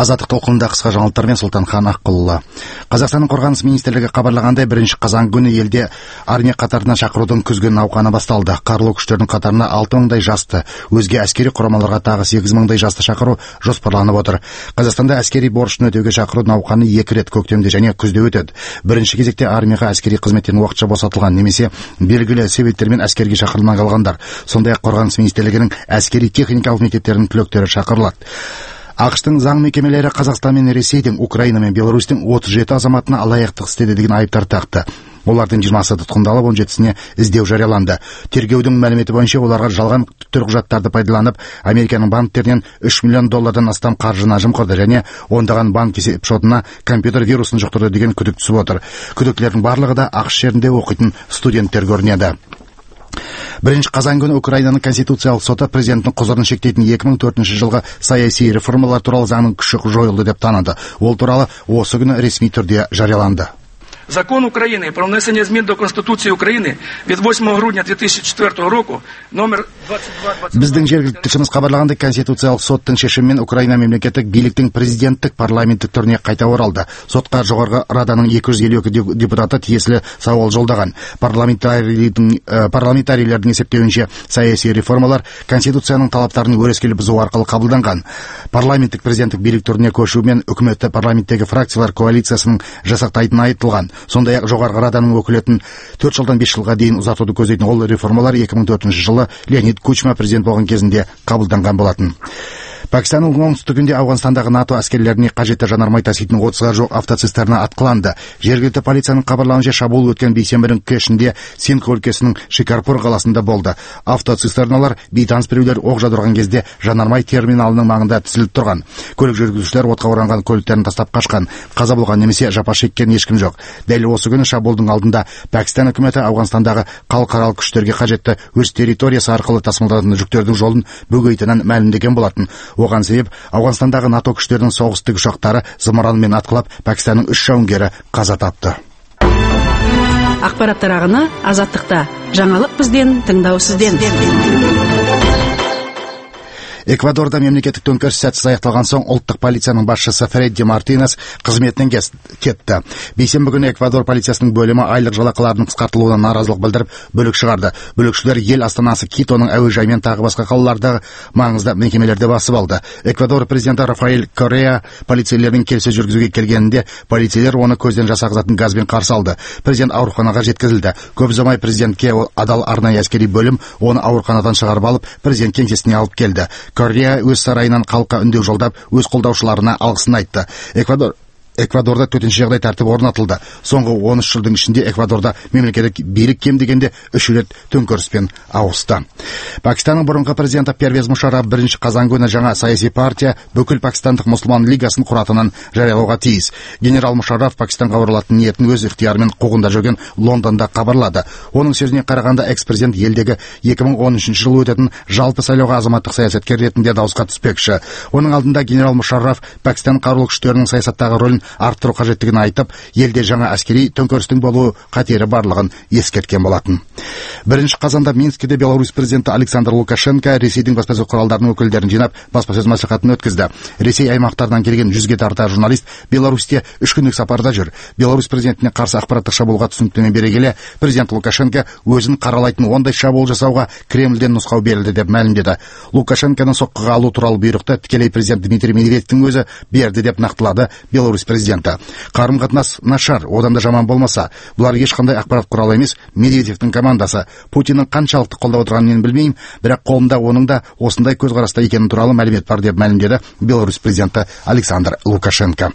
Азаттык толкунунда кыска жаңылыктар менен Султанхан Аккулова. Казакстандын Коргонус министрлиги кабарлагандай, 1-казан күнү элде армия катарына чакыруудун күзгү науканы башталды. Карылуу күчтөрдүн катарына 6 мыңдай жасты, өзге аскери курамаларга дагы 8 мыңдай жасты чакыруу жоспарланып отур. Казакстанда аскери борчун өтөөгө чакыруу науканы 2 рет көктөмдө және күздө өтөт. Биринчи кезекте армияга аскери кызметтен убакча босотулган немесе белгилүү себептер менен аскерге чакырылмай калгандар, сондай-ак Коргонус министрлигинин аскери техникалык мектептеринин түлөктөрү чакырылат. АКШтын заң мекемелери Казакстан менен Ресейдин, Украина менен Беларустун 37 азаматына алаяктык иштеди деген айыптар такты. Олардын 20-сы туткундалып, 17-сине издөө жарыяланды. Тергөөдүн маалимети боюнча оларга жалган төлкужаттарды пайдаланып, Американын банктеринен $3 миллион астам каржыны жымкырды және ондаган банк шотуна компьютер вирусун жуктурду деген күдүк түсүп отур. Күдүктөлөрдүн барлыгы да АКШ жеринде окуйтун студенттер көрүнөдү. 1-казан күнү Украинанын конституциялык соту президенттин козорун шектейтин 2004 жылгы саясий реформалар тууралуу заңдын күчү жоюлду деп таанады. Ол тууралуу осы күнү ресмий түрдө жарыяланды. Закон Украины про внесение измен до Конституции Украины від 8 грудня 2004 року номер 22... Биздин жергиликтүү тилчимиз кабарлагандай, конституциялык соттун чечими менен Украина мемлекеттик бийликтин президенттик парламенттик түрүнө кайта оралды. Сотко жогорку раданын 252 депутаты тиесилүү сабал жолдогон. Парламентарийлердин эсептөөүнчө, саясий реформалар конституциянын талаптарын өрескел бузуу аркылуу кабылданган. Парламенттик президенттик бийлик түрүнө көчүү менен өкмөттө парламенттеги фракциялар коалициясынын жасактайтыны айтылган. Сондай-ак жогорку раданын өкүлөтүн 4 жылдан 5 жылга дейин узатууду көзөйтүн ол реформалар 2004 жылы Леонид Кучма президент болгон кезинде кабылданган болотун. Пакистандын оңтүстүгүндө Афганистандагы НАТО аскерлерине кажетті жанармай таситын 30-га жок автоцистерна аткыланды. Жергиликтүү полициянын кабарлауынча, шабуул өткөн бейсенбинин кешинде Синдх өлкөсүнүн Шикарпур каласында болду. Автоцистерналар бейтаныс бирөөлөр ок жаудырган кезде жанармай терминалынын маңында тизилип турган. Көлүк жүргүзүүчүлөр отко оранган көлүктөрүн тастап качкан. Каза болгон немесе жапа шеккен эч ким жок. Дәл осы күнү шабуулдун алдында Пакистан өкмөтү Афганистандагы калкаралык күчтөргө кажетті өз территориясы аркылуу тасмалданатын жүктөрдүн жолун бөгөйтүнөн маалимдеген болотун. Оған себеп Афганистандагы НАТО күчтөрүнүн согуш тигишактары зымыран менен аткылап, Пакистандын 3 жауынгери каза тапты. Акпараттар агыны Азаттыкта. Жаңылык бизден, тыңдоо сизден. Эквадорда мемлекеттик төңкөрүш сәтсиз аякталган соң улуттук полициянын башчысы Фредди Мартинес кызметинен кетти. Бейсенбі күнү Эквадор полициясынын бөлүмү айлык жалакылардын кыскартылууна нааразылык билдирип, бөлүк чыгарды. Бөлүкчүлөр эл астанасы Китонун әуе жайы менен тагы башка калалардагы маңызды мекемелерде басып алды. Эквадор президенти Рафаэль Корреа полицейлердин келсе жүргүзүүгө келгенинде полицейлер оны көздөн жасагызатын газбен каршы алды. Президент ооруканага жеткизилди. Көп узамай президентке адал арнайы аскери бөлүм оны ооруканадан чыгарып алып, президент кеңсесине алып келди. Корреа өз сарайынан калкка үндөө жолдап, өз колдоочуларына алгысын айтты. Эквадорда төтенчө жагдай тартиби орнотулду. Соңку 13 жылдын ичинде Эквадорда мемлекеттик бийлик кем дегенде 3 рет төңкөрүспен ауысты. Пакистандын мурунку президенти Первез Мушаррaf 1-казан күнү жаңа саясий партия бүкүл Пакистандык мусулман лигасын куратынын жарыялауга тийиз. Генерал Мушаррaf Пакистанга оролатын ниетин өз ыктыяры менен куугунда жүргөн Лондонда кабарлады. Онун сөзүнө караганда, экс-президент элдеги 2013 жылы өтөтүн жалпы сайлоого азаматтык саясаткер ретинде дауыска түспөкчү. Онун алдында генерал Мушаррaf Пакистан карулуу күчтөрүнүн саясаттагы ролун арттыруу кажеттигин айтып, элде жаңа аскери төңкөрүстүн болуу катери барлыгын эскерткен болотун. 1-казанда Минскиде Беларусь президенти Александр Лукашенко Ресейдин баспасөз куралдарынын өкүлдөрүн жыйнап баспасөз маслихатын өткөздү. Ресей аймактарынан келген 100ге тарта журналист Беларусьте 3 күндүк сапарда жүр. Беларусь президентине каршы акпараттык шабуулга түсүнүктөмө бере келе, президент Лукашенко өзүн каралайтын ондай шабуул жасауга Кремлден нускау берилди деп маалимдеді. Лукашенконун соккуга алуу тууралуу буйрукту тикелей президент Дмитрий Медведевдин өзү берди деп нактылады Беларусь президенти. Карым-катнаш нашар, одан да жаман болмаса, булар эч кандай акпарат куралы эмес, Медведевдин командасы. Путиндин канчалыкты колдоп отурганын мен билбейм, бирок колунда онун да осундай көз карашта экени тууралуу маалимет бар деп маалимдеді Беларусь президенти Александр Лукашенко.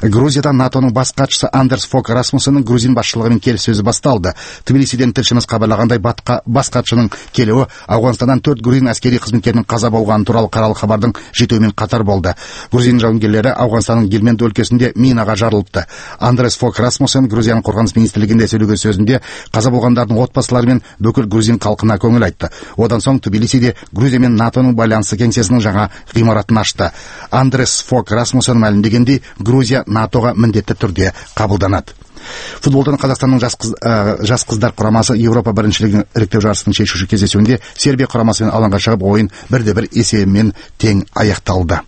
Грузияда НАТОнун баш катчысы Андерс Фок Расмуссендин грузин башчылыгы менен келиссөзү башталды. Тбилисиден тилчимиз кабарлагандай, баш катчынын келүү Афганистандан 4 грузин аскери кызметкеринин каза болгону тууралуу каралуу кабардын жетүү менен катар болду. Грузин жауынгерлери Афганистандын Гельманд өлкөсүндө минага жарылыпты. Андрес Фок Расмуссен Грузиянын коргонус министрлигинде сөйлөгөн сөзүндө каза болгондордун отбасылары менен бүкүл грузин калкына көңүл айтты. Одан соң Тбилисиде Грузия менен НАТОнун байланышы кеңсесинин жаңа гыймаратын ачты. Андрес Фок Расмуссен маалимдегендей, Грузия НАТОга міндетті түрде кабылданат. Футболдан Казакстандын жас кыздар курамасы Европа биринчилигинин ырыктөө жарышынын чечүүчү кездесүүндө Сербия курамасы менен алаңга чыгып, оюн 1-1 эсебинен тең аякталды.